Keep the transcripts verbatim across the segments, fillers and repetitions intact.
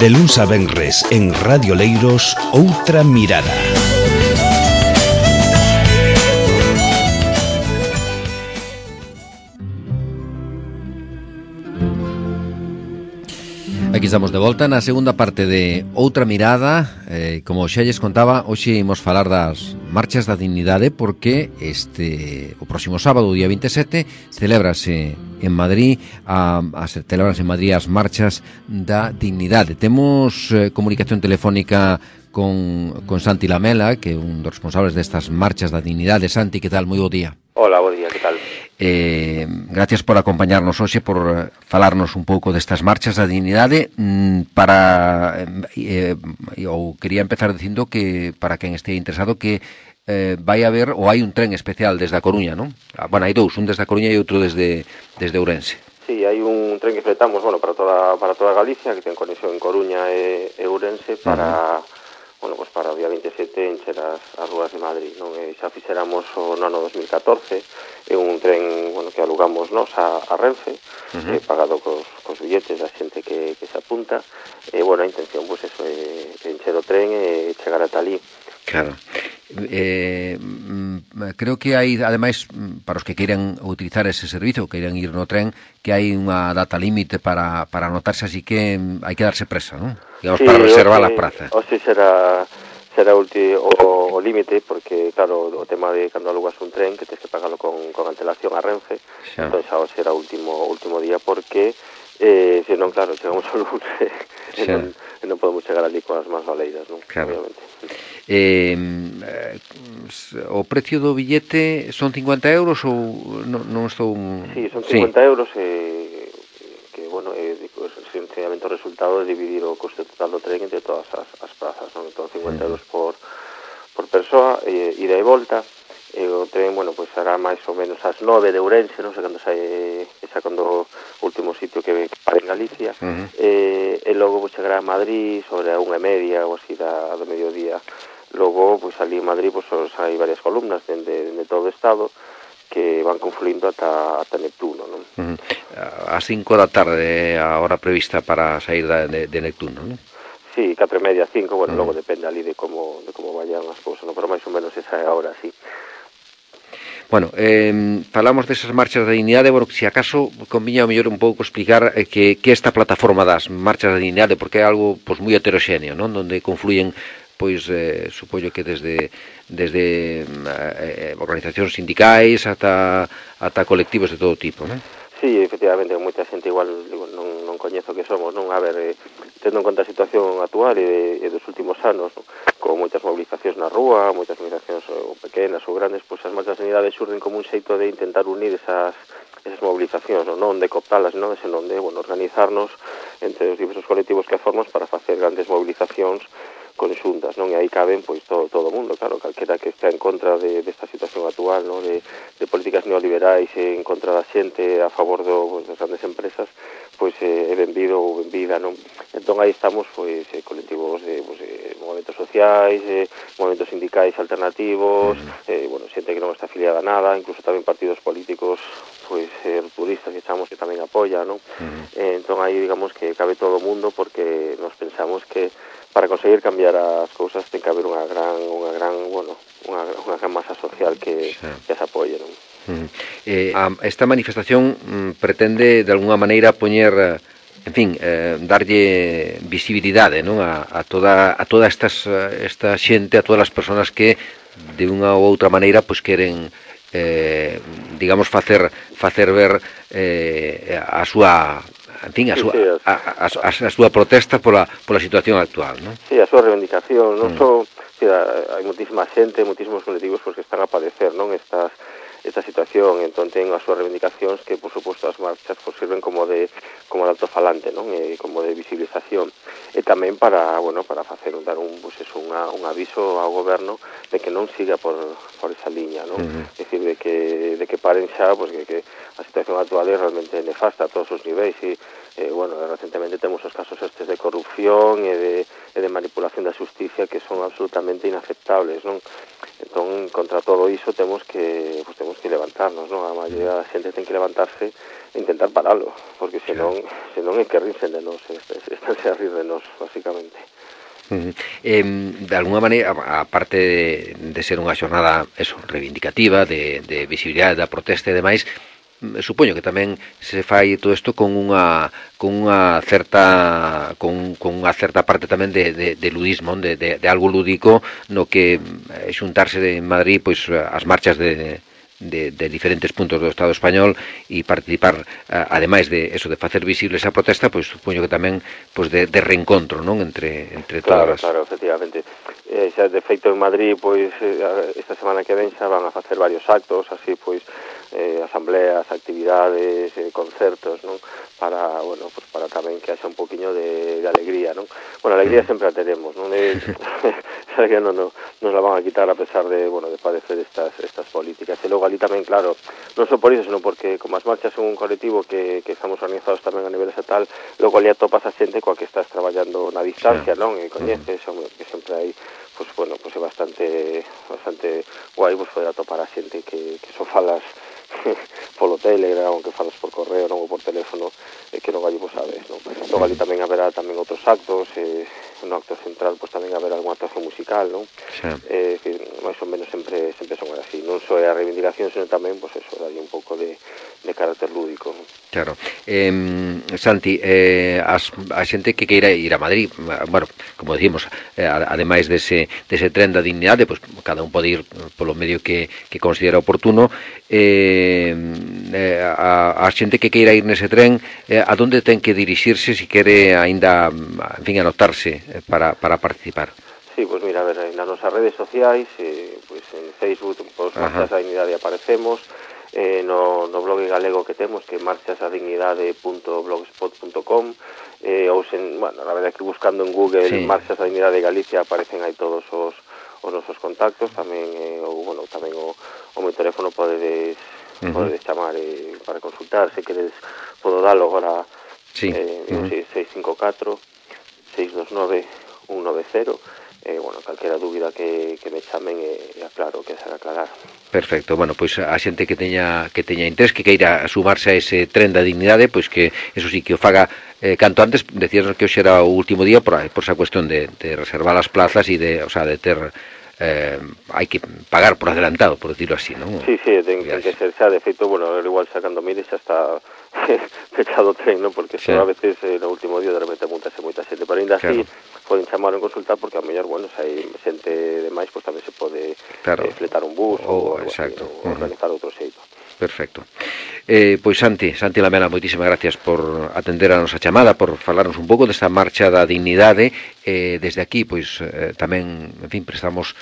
De luns a venres en Radio Leiros, Outra Mirada. Aquí estamos de volta na segunda parte de Outra Mirada. eh, Como xa lles contaba, hoxe imos falar das marchas da dignidade, porque este o próximo sábado, o día veintisiete, celébrase en Madrid a, a celébrase en Madrid as marchas da dignidade. Temos eh, comunicación telefónica con, con Santi Lamela, que é un dos responsables destas marchas da dignidade. Santi, que tal? Moi bo día. Hola, bo día, que tal? Eh, gracias por acompañarnos hoxe, por eh, falarnos un pouco destas marchas da dignidade. mm, para eh, eu quería empezar dicindo que, para quen este interesado, que eh, vai haber, ou hai un tren especial desde a Coruña, non? Ah, bueno, hai dous, un desde a Coruña e outro desde desde Ourense. Sí, hai un tren que fletamos, bueno, para toda para toda Galicia, que ten conexión en Coruña e, e Ourense, para... Uh-huh. Bueno, pues para o día veintisiete encher as, as rúas de Madrid, non? E xa fixéramos o no ano dos mil catorce, é un tren, bueno, que alugamos nos a, a Renfe, uh-huh. eh, pagado cos, cos billetes da xente que, que se apunta, e, bueno, a intención, pues, eso, é encher o tren e chegar ata ali. Claro. Eh, creo que hai, ademais, para os que queiran utilizar ese servicio, queiran ir no tren, que hai unha data límite para, para anotarse, así que hai que darse presa, non? Digamos, sí, para reservar a praza. O si será será ulti, o, o límite, porque, claro, o tema de cando alugas un tren, que tens que pagarlo con, con antelación a Renfe, xa. Entón xa o será o último, último día, porque, eh, se non, claro, chegamos ao lunes e non, e non podemos chegar ali coas mans valeiras, non? Claro. Obviamente. Eh, o precio do billete son cincuenta euros ou non, non estou... Sí, son cincuenta sí. euros e... que, bueno, é, sencillamente o resultado de dividir o coste total do tren entre todas as, as plazas, non? Entón, cincuenta euros por, por persoa, e, ida e volta, e o tren, bueno, pois será máis ou menos ás nove de Ourense, non sei cando sai, xa cando o último sitio que para en Galicia, uh-huh. e, e logo pois chegará a Madrid sobre a unha e media ou así da, do mediodía. Logo, pois ali en Madrid, pois hai varias columnas dende, dende todo o estado que van confluindo ata, ata Neptuno, non? Uh-huh. A cinco da tarde a hora prevista para sair da, de, de Neptuno, non? Sí, catro e media, cinco, bueno, uh-huh. Logo depende ali de como, de como vayan as cousas, non? Pero máis ou menos esa é a hora, sí. Bueno, eh, falamos desas marchas da dignidade. Bueno, se acaso conviña ao mellor un pouco explicar eh, que, que esta plataforma das marchas da dignidade, porque é algo pois moi heteroxéneo, non? Donde confluyen pois eh, supoño que desde desde eh, organizacións sindicais ata ata colectivos de todo tipo, non? Sí, efectivamente, moita xente igual digo, non, non coñezo que somos, non? A ver, eh, tendo en conta a situación actual e, e dos últimos anos, non? Con moitas movilizacións na rúa, moitas movilizacións ou pequenas ou grandes, pois as marchas de dignidade xurden como un xeito de intentar unir esas esas movilizacións, non, non de cooptalas, non, senón de, bueno, organizarnos entre os diversos colectivos que formamos para facer grandes movilizacións conxuntas, non? E aí caben, pois, todo, todo o mundo, claro, calquera que está en contra de, desta situación actual, non? De, de políticas neoliberais en contra da xente a favor do, pois, das grandes empresas, pois eh, é benvido ou benvida, non? Entón aí estamos, pois, eh, colectivos de, pois, eh, movimentos sociais, eh, movimentos sindicais alternativos, eh, bueno, xente que non está afiliada a nada, incluso tamén partidos políticos, pois, eh, rupturistas que chamamos que tamén apoia, non? Uh-huh. Eh, entón aí, digamos, que cabe todo o mundo, porque nos pensamos que para conseguir cambiar as cousas ten que haber unha gran, unha gran, bueno, unha, unha gran masa social que, sí. que as apoie, non? Uh-huh. Eh, esta manifestación mm, pretende de alguna maneira poñer, en fin, eh, darlle visibilidade, non, a, a toda a toda estas esta xente, a todas as persoas que de unha ou outra maneira pois queren eh, digamos facer facer ver eh, a súa en fin, a súa, sí, sí, a, a, a, a súa protesta pola, pola situación actual, non? Sí, a súa reivindicación, non mm. só, sí, hai moitísima xente, moitísimos colectivos pois, que están a padecer, non, estas esta situación, entón ten as súas reivindicacións que, por suposto, as marchas pois, sirven como de como de altofalante, non? E como de visibilización. E tamén para, bueno, para facer dar un, pois, eso, unha, un aviso ao goberno de que non siga por, por esa liña, non? Uh-huh. É dicir, de que, de que paren xa, pois, que, que a situación actual é realmente nefasta a todos os niveis e, eh, bueno, recentemente temos os casos estes de corrupción e de, e de manipulación da xusticia que son absolutamente inaceptables, non? Entón, contra todo iso temos que pues, temos que levantarnos, non? A maioría da xente ten que levantarse e intentar paralo, porque senón, senón é que rinsen de nos, estanse a rir de nos, basicamente. Uh-huh. Eh, de alguna maneira, aparte de, de ser unha xornada eso, reivindicativa, de, de visibilidade da protesta e demais, supoño que tamén se fai todo isto con unha con unha certa con, con unha certa parte tamén de, de, de ludismo, de, de, de algo lúdico no que xuntarse en Madrid pois as marchas de De, de diferentes puntos do Estado español e participar, ademais de eso de facer visible esa protesta, pois supoño que tamén pois de, de reencontro, non, entre entre claro, todas. Claro, efectivamente. Eh, xa de feito en Madrid, pois esta semana que ven xa van a facer varios actos, así pois eh, asambleas, actividades, eh, concertos, non? Para, bueno, pues para tamén que haxa un poquinho de, de alegría, non? Bueno, a alegría sempre a tenemos, non? Esa alegría non, non nos la van a quitar a pesar de, bueno, de padecer estas estas políticas. E logo ali tamén, claro, non só por iso, senón porque como as marchas son un colectivo que, que estamos organizados tamén a nivel estatal, logo ali atopas a xente coa que estás traballando na distancia, non? E coñeces, uh-huh. que sempre hai, pues bueno, pues é bastante bastante guai pues poder atopar a xente que, que só falas polo Telegram, que falas por correo, non, ou por teléfono, e que non ali vos sabes, non? Logo ali tamén haberá tamén outros actos, e no acto central pues tamén haberá algunha actuación musical, non? Sí. Eh, que máis ou menos sempre sempre son así, non só é a reivindicación, senón tamén, pues eso, dalle un pouco de, de carácter lúdico, non? Claro. Eh, Santi, eh, as, a xente que queira ir a Madrid, bueno, como decimos, eh, ademais dese, dese tren da dignidade, pues cada un pode ir polo medio que, que considera oportuno. Eh, eh, a, a xente que queira ir nese tren, eh, a donde ten que dirixirse se quere aínda, en fin, anotarse para, para participar? Sí, pues mira, a ver, nas nosas redes sociais, eh, pues en Facebook, pues Marchas da Dignidade aparecemos, eh, no, no blog galego que temos, que é marchasadignidade punto blogspot punto com, eh, ou sen, bueno, a verdade que buscando en Google sí. Marchas da Dignidade de Galicia aparecen aí todos os, os nosos contactos, tamén, eh, ou, bueno, tamén o, o meu teléfono podedes, uh-huh. podedes chamar eh, para consultar, se queres podo dalo agora, sí. eh, uh-huh. seis cinco catro, seis dos nove, un nove cero, eh, bueno, calquera dúbida que, que me chamen e eh, aclaro que será aclarar. Perfecto, bueno, pois a xente que teña que teña interés, que queira sumarse a ese tren da dignidade, pois que eso sí, que o faga eh, canto antes. Decías que hoxe era o último día por, por esa cuestión de, de reservar as plazas e de, o sea, de ter eh, hai que pagar por adelantado, por decirlo así, non? Sí, sí, ten, ten que ser xa, de feito, bueno, igual xa cando mires xa está fechado o tren, non? Porque sí. A veces eh, no último día de repente montase moita xente, pero ainda así claro. Poden chamar en consultar porque a mellor, bueno, se hai xente demais, pois tamén se pode claro. eh, fletar un bus oh, ou, exacto. Así, ou uh-huh. organizar outro xeito. Perfecto. Eh, pois Santi, Santi Lamela, moitísimas gracias por atender a nosa chamada, por falarnos un pouco desta marcha da dignidade. Eh, desde aquí, pois eh, tamén, en fin, prestamos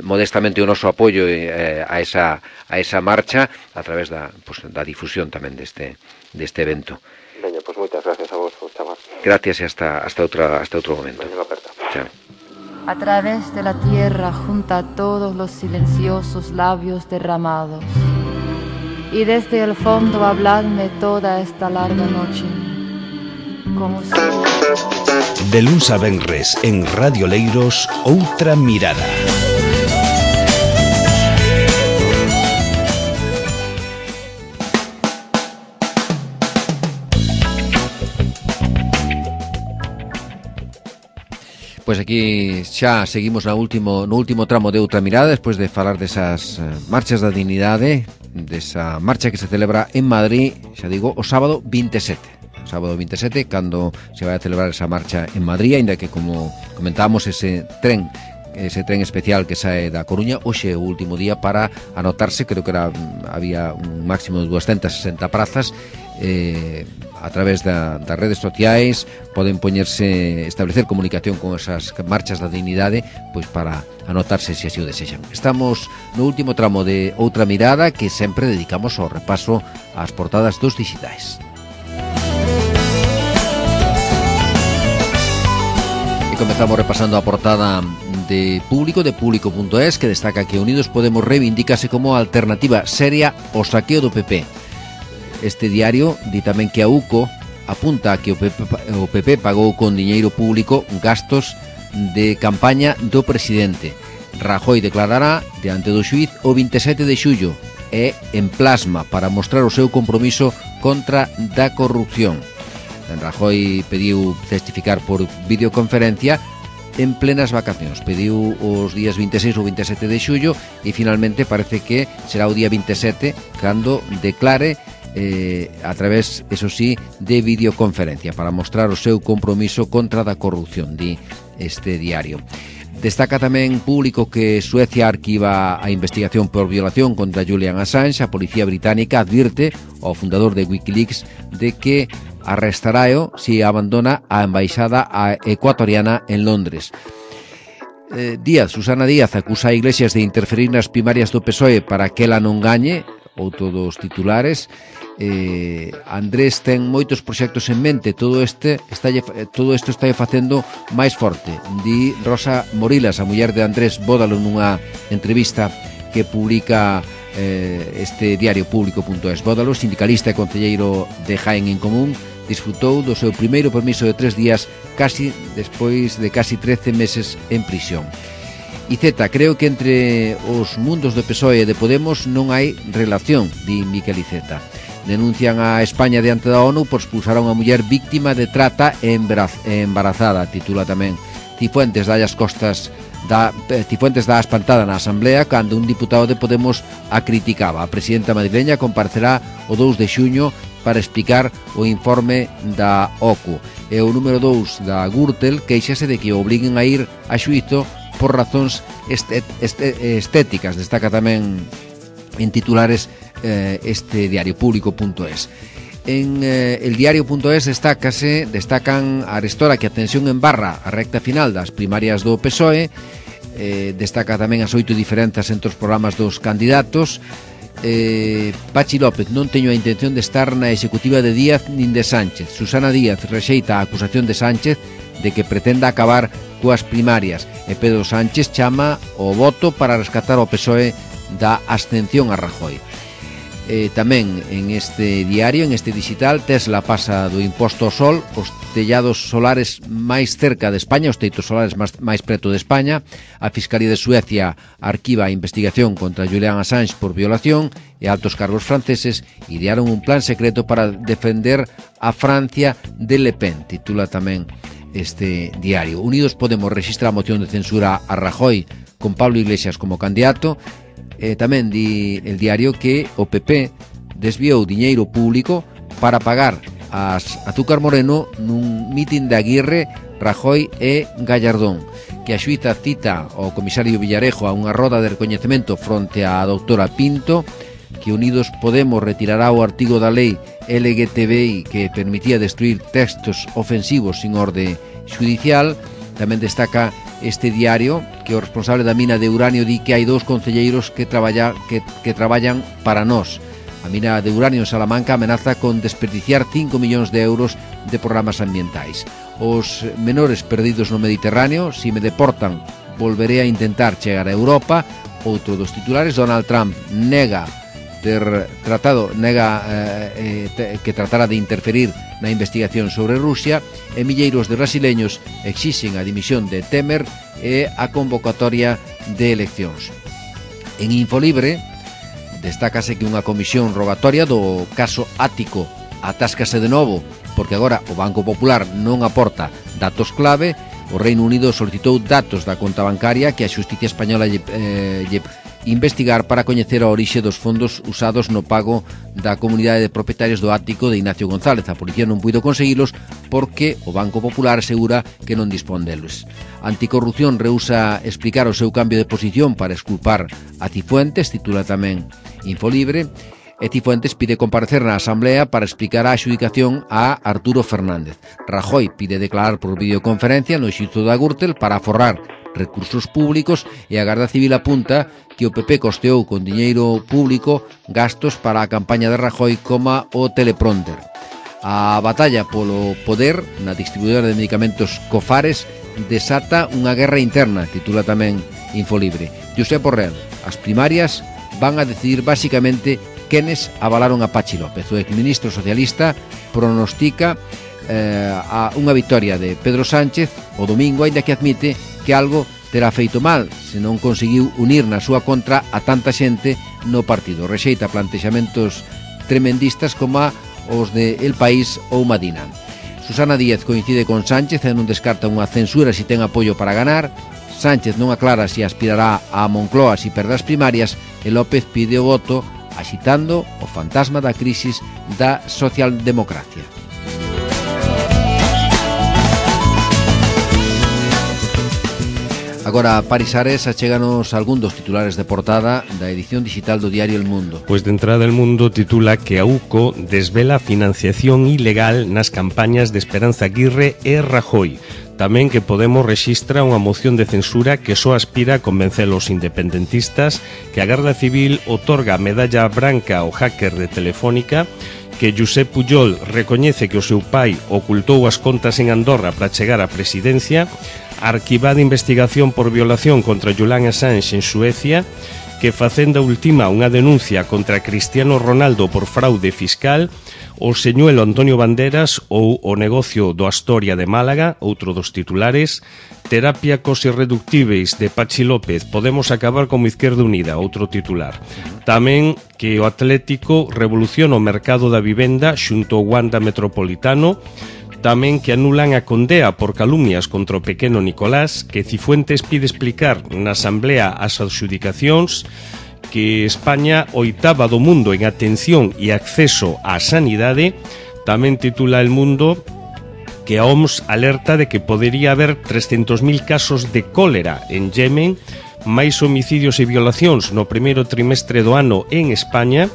modestamente o noso apoio eh, a esa a esa marcha a través da pues, da difusión tamén deste deste evento. Veña, pois moitas gracias a vos por chamar. Gracias e hasta hasta outra hasta outro momento. Veña, aperta. Chao. A través de la tierra junta todos los silenciosos labios derramados. Y desde el fondo habladme toda esta larga noche. Como si... De luns a venres en Radio Leiros, Outra Mirada. Pois aquí xa seguimos na último, no último tramo de Outra Mirada, despois de falar desas marchas da dignidade, desa marcha que se celebra en Madrid, xa digo, o sábado vinte e sete. O sábado vinte e sete, cando se vai a celebrar esa marcha en Madrid, aínda que, como comentábamos, ese tren ese tren especial que sae da Coruña, hoxe é o último día para anotarse. Creo que era, había un máximo de doscientas sesenta prazas. Eh, a través da, das redes sociais poden poñerse, establecer comunicación con esas marchas da dignidade, pois para anotarse se así o desexan. Estamos no último tramo de Outra Mirada, que sempre dedicamos ao repaso ás portadas dos digitais. E comezamos repasando a portada de Público, de Público punto es, que destaca que Unidos Podemos reivindicase como alternativa seria ao saqueo do P P. Este diario di tamén que a U C O apunta que o P P, o P P pagou con diñeiro público gastos de campaña do presidente. Rajoy declarará diante do xuíz o vinte e sete de xullo e en plasma para mostrar o seu compromiso contra da corrupción. Rajoy pediu testificar por videoconferencia en plenas vacacións. Pediu os días vinte e seis ou vinte e sete de xullo e finalmente parece que será o día vinte e sete cando declare eh, a través, eso sí, de videoconferencia para mostrar o seu compromiso contra da corrupción, di este diario. Destaca tamén Público que Suecia arquiva a investigación por violación contra Julian Assange. A policía británica advirte ao fundador de Wikileaks de que arrestaráeo se abandona a embaixada ecuatoriana en Londres. Eh, Díaz, Susana Díaz acusa a Iglesias de interferir nas primarias do P S O E para que ela non gañe, outro dos titulares. Eh, Andrés ten moitos proxectos en mente, todo este está, todo isto está facendo máis forte, di Rosa Morilas, a muller de Andrés Bódalo, nunha entrevista que publica eh, este diario público punto es. Bódalo, sindicalista e concelleiro de Jaén en Común, disfrutou do seu primeiro permiso de tres días casi despois de casi trece meses en prisión. E Z, creo que entre os mundos do P S O E e de Podemos non hai relación, di Miquel Iceta. Denuncian a España diante da ONU por expulsar a unha muller víctima de trata e embarazada, titula tamén. Cifuentes dá as costas da, Cifuentes dá a espantada na Asamblea cando un diputado de Podemos a criticaba. A presidenta madrileña comparecerá o dous de xuño para explicar o informe da O C U. E o número dous da Gürtel queixase de que o obliguen a ir a xuízo por razóns estet, estet, estéticas. Destaca tamén en titulares eh, este diario público punto es. En eh, el diario punto es destácase, destacan arestora que a tensión en barra a recta final das primarias do P S O E, eh, destaca tamén as oito diferenzas entre os programas dos candidatos. eh, Pachi López, non teño a intención de estar na executiva de Díaz nin de Sánchez. Susana Díaz rexeita a acusación de Sánchez de que pretenda acabar coas primarias e Pedro Sánchez chama o voto para rescatar o P S O E da abstención a Rajoy. Eh, tamén en este diario, en este digital, Tesla pasa do imposto ao sol, os tellados solares máis cerca de España, os teitos solares máis, máis preto de España. A Fiscalía de Suecia arquiva a investigación contra Julian Assange por violación e altos cargos franceses idearon un plan secreto para defender a Francia de Le Pen, titula tamén este diario. Unidos Podemos registra a moción de censura a Rajoy con Pablo Iglesias como candidato. Eh, tamén di el diario que o P P desviou diñeiro público para pagar as Azúcar Moreno nun mitin de Aguirre, Rajoy e Gallardón, que a xuíza cita ao comisario Villarejo a unha roda de recoñecemento fronte á doutora Pinto, que Unidos Podemos retirará o artigo da lei L G T B I que permitía destruir textos ofensivos sin orde judicial. Tamén destaca este diario que o responsable da mina de uranio di que hai dous concelleiros que, traballa, que, que traballan para nós. A mina de uranio en Salamanca amenaza con desperdiciar cinco millóns de euros de programas ambientais. Os menores perdidos no Mediterráneo, si me deportan, volveré a intentar chegar a Europa. Outro dos titulares, Donald Trump nega ter tratado nega eh, eh, que tratara de interferir na investigación sobre Rusia, e milleiros de brasileños exixen a dimisión de Temer e a convocatoria de eleccións. En Infolibre destácase que unha comisión rogatoria do caso Ático atáscase de novo porque agora o Banco Popular non aporta datos clave. O Reino Unido solicitou datos da conta bancaria que a Xusticia Española lle, eh, lle investigar para coñecer a orixe dos fondos usados no pago da comunidade de propietarios do Ático de Ignacio González. A policía non puido conseguilos porque o Banco Popular asegura que non dispón deles. Anticorrupción rehúsa explicar o seu cambio de posición para exculpar a Cifuentes, titula tamén Infolibre, e Cifuentes pide comparecer na Asamblea para explicar a adxudicación a Arturo Fernández. Rajoy pide declarar por videoconferencia no xuízo da Gürtel para aforrar recursos públicos e a Garda Civil apunta que o P P costeou con diñeiro público gastos para a campaña de Rajoy como o teleprompter. A batalla polo poder na distribuidora de medicamentos Cofares desata unha guerra interna, titula tamén Infolibre. Josep Borrell, as primarias van a decidir basicamente quenes avalaron a Pachi López. O exministro socialista pronostica eh, a unha victoria de Pedro Sánchez o domingo, aínda que admite que algo terá feito mal se non conseguiu unir na súa contra a tanta xente no partido. Rexeita plantexamentos tremendistas como os de El País ou Madina. Susana Díaz coincide con Sánchez e non descarta unha censura se ten apoio para ganar. Sánchez non aclara se aspirará a Moncloa se perder as primarias e López pide o voto axitando o fantasma da crisis da socialdemocracia. Agora, Paris Ares, achéganos algún dos titulares de portada da edición digital do diario El Mundo. Pois de entrada El Mundo titula que a U C O desvela financiación ilegal nas campañas de Esperanza Aguirre e Rajoy. Tamén que Podemos rexistra unha moción de censura que só aspira a convencer os independentistas, que a Garda Civil otorga a medalla branca ao hacker de Telefónica, que Josep Pujol recoñece que o seu pai ocultou as contas en Andorra para chegar á presidencia, arquivada investigación por violación contra Julian Assange en Suecia, que Facenda ultima unha denuncia contra Cristiano Ronaldo por fraude fiscal, o señuelo Antonio Banderas ou o negocio do Astoria de Málaga, outro dos titulares, terapia cos irreductíveis de Pachi López, Podemos acabar como Izquierda Unida, outro titular. Tamén que o Atlético revoluciona o mercado da vivenda xunto ao Wanda Metropolitano, tamén que anulan a condea por calumnias contra o pequeno Nicolás, que Cifuentes pide explicar na Asamblea as adxudicacións, que España oitava do mundo en atención e acceso á sanidade. Tamén titula El Mundo que a O M S alerta de que podería haber trescentos mil casos de cólera en Yemen, máis homicidios e violacións no primeiro trimestre do ano en España,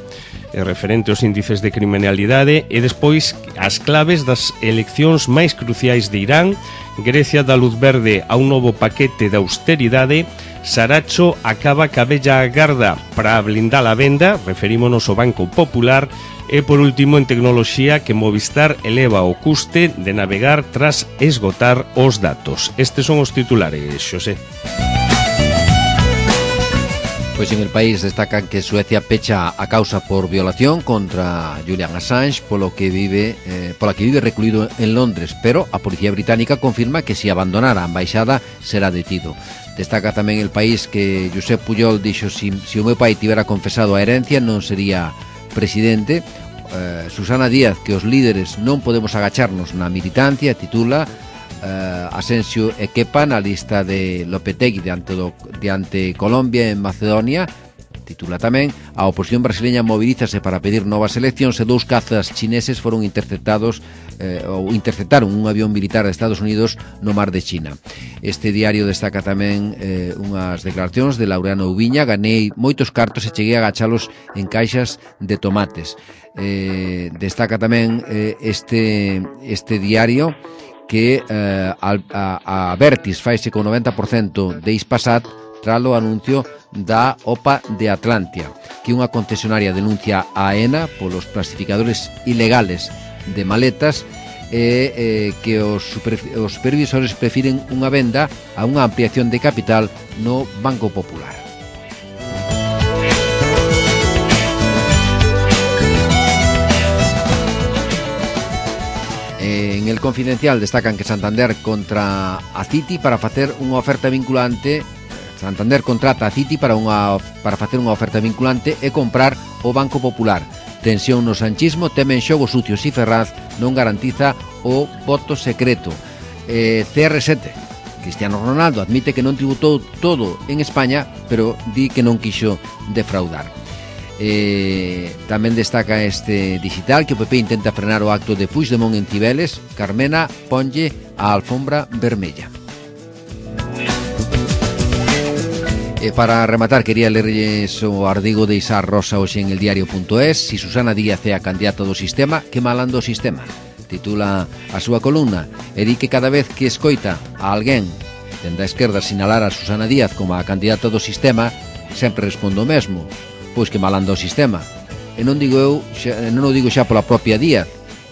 e referente aos índices de criminalidade, e despois as claves das eleccións máis cruciais de Irán. Grecia dá luz verde a un novo paquete de austeridade. Saracho acaba ca vella garda para blindar a venda, referímonos ao Banco Popular. E por último, en tecnoloxía, que Movistar eleva o custe de navegar tras esgotar os datos. Estes son os titulares, Xosé. Pois en El País destacan que Suecia pecha a causa por violación contra Julian Assange, polo que vive, eh, pola que vive recluído en Londres, pero a Policía Británica confirma que se abandonara a embaixada será detido. Destaca tamén El País que Josep Pujol dixo si, si o meu pai tivera confesado a herencia non sería presidente. Eh, Susana Díaz que os líderes non podemos agacharnos na militancia, titula. Uh, Asensio e Kepa na lista de Lopetegui diante, do, diante Colombia en Macedonia, titula tamén. A oposición brasileña mobilízase para pedir novas eleccións e dous cazas chineses foron interceptados eh, ou interceptaron un avión militar de Estados Unidos no mar de China. Este diario destaca tamén eh, unhas declaracións de Laureano Ubiña: ganei moitos cartos e cheguei a agachalos en caixas de tomates. Eh, destaca tamén eh, este, este diario que eh, a, a, a Vertis faise con noventa por cento de Ispasat tralo anuncio da O P A de Atlantia, que unha concesionaria denuncia a AENA polos clasificadores ilegales de maletas e eh, que os, super, os supervisores prefiren unha venda a unha ampliación de capital no Banco Popular. En El Confidencial destacan que Santander contra a Citi para facer unha oferta vinculante. Santander contrata a Citi para unha para facer unha oferta vinculante e comprar o Banco Popular. Tensión no sanchismo, temen xogos sucios e Ferraz non garantiza o voto secreto. Eh, C R sete, Cristiano Ronaldo admite que non tributou todo en España, pero di que non quixo defraudar. Eh, tamén destaca este digital que o P P intenta frenar o acto de Puigdemont en Cibeles. Carmena ponlle a alfombra vermella. E para rematar quería lerlles o artigo de Isar Rosa hoxe en el diario punto es. Si Susana Díaz é a candidata do sistema, que malando o sistema, titula a súa columna, e di que cada vez que escoita a alguén dende a esquerda sinalar a Susana Díaz como a candidata do sistema, sempre respondo o mesmo: pois que malanda o sistema. E non digo eu, xa, non o digo xa pola propia Díaz,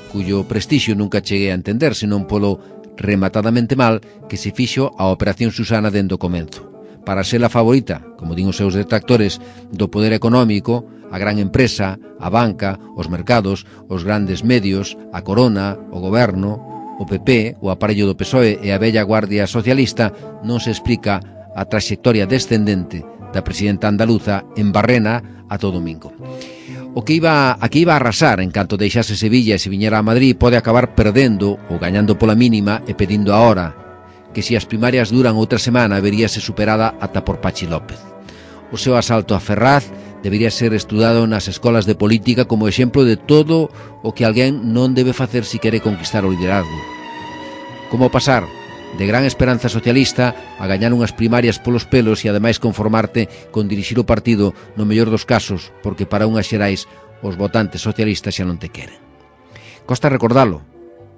cuyo prestixio nunca cheguei a entender, senón polo rematadamente mal que se fixo a Operación Susana dende o comenzo. para ser a favorita, como din os seus detractores, do poder económico, a gran empresa, a banca, os mercados, os grandes medios, a corona, o goberno, o P P, o aparello do P S O E e a bella Guardia Socialista, non se explica a traxectoria descendente da presidenta andaluza en Barrena a todo domingo. O que iba, a que iba a arrasar en canto deixase Sevilla e se viñera a Madrid pode acabar perdendo ou gañando pola mínima e pedindo a hora, que se as primarias duran outra semana veríase superada ata por Pachi López. O seu asalto a Ferraz debería ser estudado nas escolas de política como exemplo de todo o que alguén non debe facer se quere conquistar o liderazgo. Como pasar de gran esperanza socialista a gañar unhas primarias polos pelos e ademais conformarte con dirixir o partido no mellor dos casos, porque para unhas xerais os votantes socialistas xa non te queren. Costa recordalo,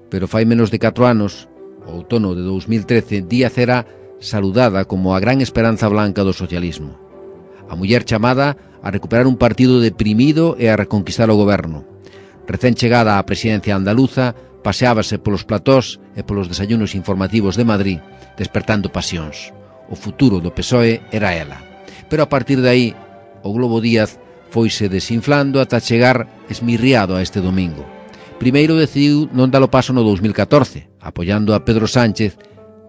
pero fai menos de catro anos, o outono de dous mil trece, Díaz era saludada como a gran esperanza blanca do socialismo. A muller chamada a recuperar un partido deprimido e a reconquistar o goberno. Recén chegada á presidencia andaluza, paseábase polos platós e polos desayunos informativos de Madrid, despertando pasións. O futuro do P S O E era ela. Pero a partir de aí, o Globo Díaz foise desinflando ata chegar esmirriado a este domingo. Primeiro decidiu non dalo paso no dous mil catorce, apoiando a Pedro Sánchez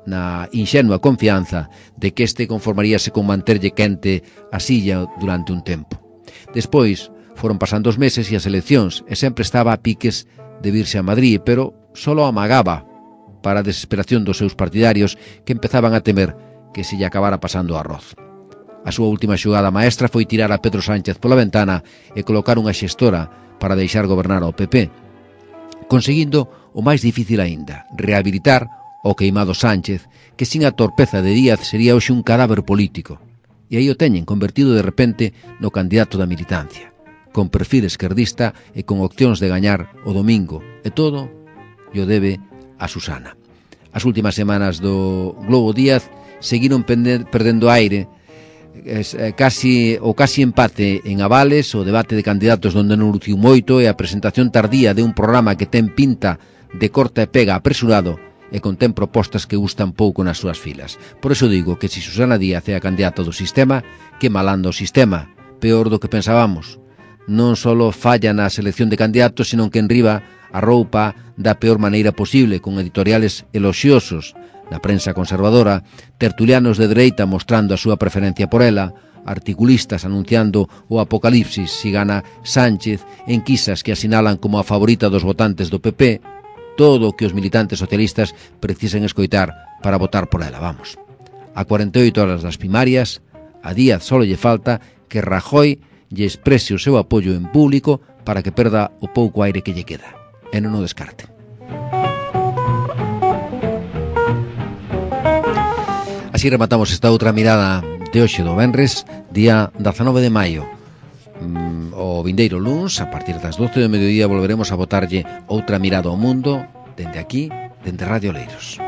na inxenua confianza de que este conformaríase con manterlle quente a silla durante un tempo. Despois foron pasando os meses e as eleccións e sempre estaba a piques de virse a Madrid, pero solo amagaba para a desesperación dos seus partidarios que empezaban a temer que se lle acabara pasando o arroz. A súa última xogada maestra foi tirar a Pedro Sánchez pola ventana e colocar unha xestora para deixar gobernar ao P P, conseguindo o máis difícil aínda, rehabilitar o queimado Sánchez, que sin a torpeza de Díaz sería hoxe un cadáver político. E aí o teñen, convertido de repente no candidato da militancia, con perfil esquerdista e con opcións de gañar o domingo. E todo o debe a Susana. As últimas semanas do Globo Díaz seguiron perdendo aire, es, eh, casi, o casi empate en avales, o debate de candidatos donde non luciu moito e a presentación tardía de un programa que ten pinta de corta e pega apresurado e contén propostas que gustan pouco nas súas filas. Por eso digo que se Susana Díaz é a candidata do sistema, que malanda o sistema, peor do que pensábamos. Non só falla na selección de candidatos, senón que enriba a roupa da peor maneira posible, con editoriales eloxiosos na prensa conservadora, tertulianos de dereita mostrando a súa preferencia por ela, articulistas anunciando o apocalipsis si gana Sánchez, enquisas que asinalan como a favorita dos votantes do P P, todo o que os militantes socialistas precisen escoitar para votar por ela, vamos. A cuarenta e oito horas das primarias, a Díaz só lle falta que Rajoy lle exprese o seu apoio en público para que perda o pouco aire que lle queda. E non o descarte. Así rematamos esta outra mirada de hoxe do venres, día dezanove de maio. O vindeiro luns, a partir das doce do mediodía, volveremos a botarlle outra mirada ao mundo dende aquí, dende Radio Leiros.